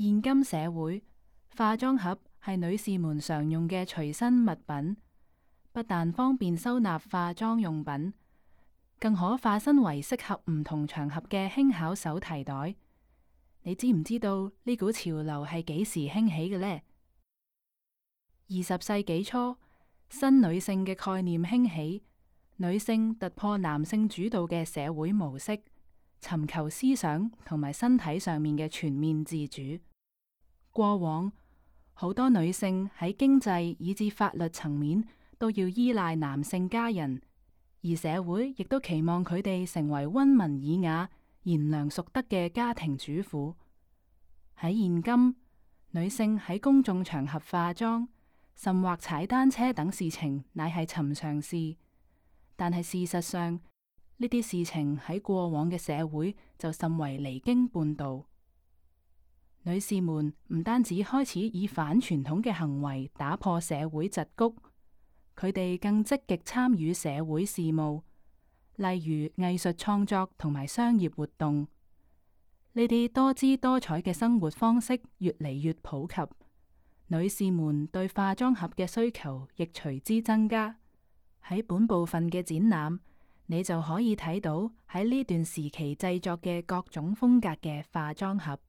現今社會，化妝盒係女士們常用嘅隨身物品，不但方便收納化妝用品，更可化身為適合唔同場合嘅輕巧手提袋。你知唔知道呢股潮流係幾時興起嘅呢？20世紀初，新女性嘅概念興起，女性突破男性主導嘅社會模式，尋求思想同埋身體上面嘅全面自主。過往好多女性喺經濟以至法律層面都要依賴男性家人，而社會亦都期望佢哋成為溫文爾雅、賢良淑德嘅家庭主婦。喺現今，女性喺公眾場合化妝，甚或踩單車等事情，乃係尋常事。但係事實上，呢啲事情喺過往嘅社會就甚為離經叛道。女士們唔單止開始以反傳統嘅行為打破社會桎梏，佢哋更積極參與社會事務，例如藝術創作同埋商業活動。呢啲多姿多彩嘅生活方式越嚟越普及，女士們對化妝盒嘅需求亦隨之增加。喺本部分嘅展覽，你就可以睇到喺呢段時期製作嘅各種風格嘅化妝盒。